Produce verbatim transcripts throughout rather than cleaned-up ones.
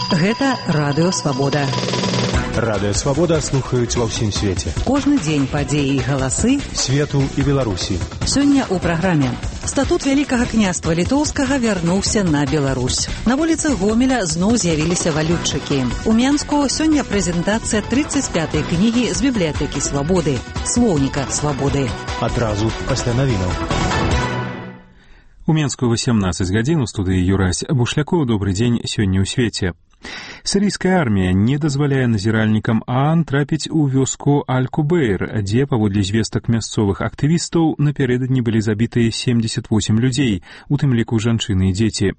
Гэта Радыё Свабода. Радыё Свабода слухаюць ва ўсім свеце. Кожны дзень падзеі і галасы свету і Беларусі. Сёння ў праграме. Статут Вялікага княства Літоўскага вярнуўся на Беларусь. На вуліцах Гомеля зноў з'явіліся валютчыкі. У Менску сёння прэзентацыя тридцать пятай кнігі з бібліятэкі Свабоды, слоўніка Свабоды. Адразу пасля навінаў. У Менску восемнадцать гадзін у студыі Юрась Бушлякоў. Добры дзень сёння ў свеце. Сірыйская армія не дазваляе назіральнікам ААН трапіць у вёску Аль-Кубейр, дзе, паводле звестак мясцовых актывістаў, напярэдадні былі забітыя семьдесят восемь людзей, у тым ліку жанчыны і дзеці.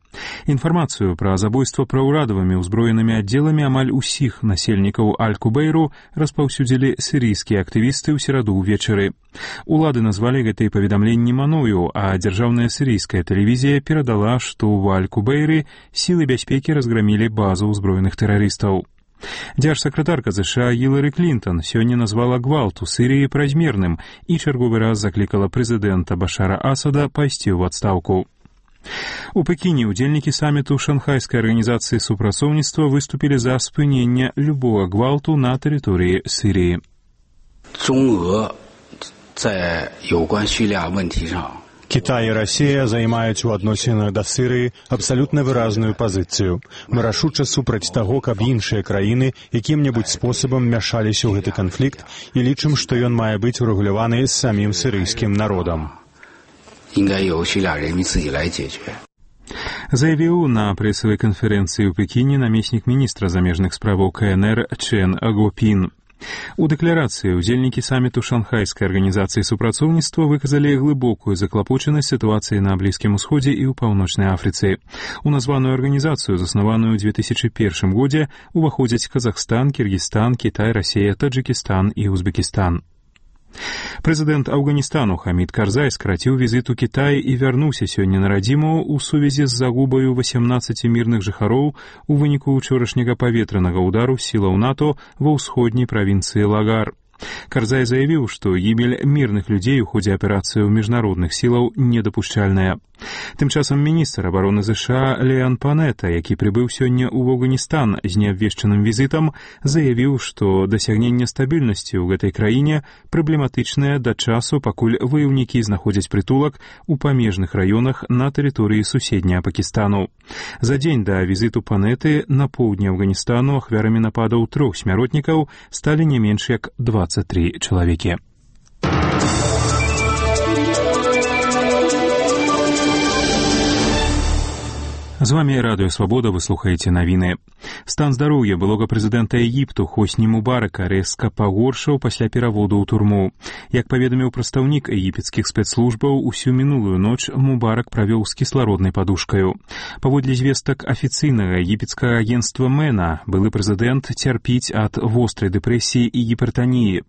Інфармацыю пра забойства праўрадавымі ўзброенымі аддзеламі амаль усіх насельнікаў Аль-Кубейру распаўсюдзілі сірыйскія актывісты ў сераду ўвечары. Улады назвалі гэтыя паведамленні маною, а дзяржаўная сірыйская тэлевізія перадала, што ў Аль-Кубейры сілы бяспекі разграмілі базу ўзброеных тэрарыстаў. Дзяржсакратарка ЗША Гілары Клінтон сёння назвала гвалт у Сірыі празмерным і чарговы раз заклікала прэзідэнта Башара Асада пайсці ў адстаўку. У Пекіне удзельнікі саміту Шанхайскай арганізацыі супрацоўніцтва выступілі за спынення любого гвалту на тэрыторыі Сірыі. 中俄在有关叙利亚问题上 Кітай і Расія займаюць у адносінах да Сірыі абсалютна выразную пазіцыю. Мы рашуча супраць таго, каб іншыя краіны якім-небудзь спосабам мяшаліся ў гэты канфлікт і лічым, што ён мае быць урэгуляваны з самім сірыйскім народам. Заявіў на прэсавай канферэнцыі ў Пекіне намеснік міністра замежных справаў КНР Чен Агопін. У дэкларацыі удзельнікі саміту Шанхайскай арганізацыі супрацоўніцтва выказалі глыбокую заклапочанасць сітуацыі на Блізкім Усходзе і ў Паўночнай Афрыцы. У названую арганізацыю, заснаваную ў две тысячи первым годзе, уваходзяць Казахстан, Кіргізстан, Кітай, Расія, Таджыкістан і Узбекістан. Прэзідэнт Афганістану Хамід Карзай скраціў візіт у Кітай і вярнуўся сёння на радзіму ў сувязі з загубаю восемнадцати мірных жыхароў у выніку ўчорашняга паветранага ўдару сілаў НАТО ва ўсходняй правінцыі Лагар. Карзай заявіў, што гібель мірных людзей у ходзе аперацыі ў міжнародных сілаў недапушчальная. Тым часам міністр абароны ЗША Леан Панета, які прыбыў сёння ў Афганістан з неабвешчаным візітам, заявіў, што дасягненне стабільнасці ў гэтай краіне праблематычнае да часу, пакуль ваяўнікі знаходзяць прытулак у памежных раёнах на тэрыторыі суседняга Пакістану. За дзень да візіту Панеты на поўдні Афганістану ахвярамі нападаў трох смяротнікаў сталі не менш як двадцать три чалавекі. З вами Радыё Свабода, вы слухаеце навіны. Стан здароўя былога прэзідэнта Егіпту Хосні Мубарака рэзка пагоршаў пасля пераводу ў турму. Як паведаміў прадстаўнік егіпецкіх спецслужбаў, усю мінулую ноч Мубарак правёў з кіслароднай падушкаю. Паводле звестак афіцыйнага егіпецкага агенцтва Мэна, былы прэзідэнт цярпіць ад вострай дэпрэсіі і гіпертаніі.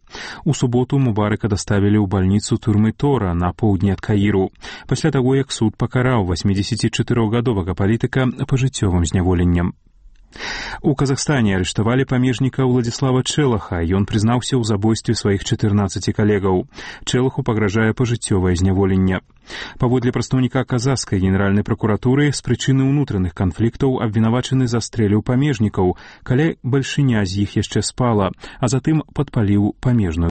У суботу Мубарака даставілі ў бальніцу турмы Тора на поўдні ад Каіру, пасля таго, як суд пакараў восьмідзесяцічатырохгадовага палітыка пажыццёвым зняволеннем. У Казахстане арыштавалі памежніка Уладзіслава Чэлаха, ён прызнаўся ў забойстве сваіх чатырнаццаці калегаў. Чэлаху пагражае пажыццёвае зняволенне. Паводле прадстаўніка казахскай генеральнай пракуратуры, з прычыны ўнутраных канфліктаў абвінавачаны застрэліў памежнікаў, каля бальшыня з іх яшчэ спала, а затым падпаліў памежную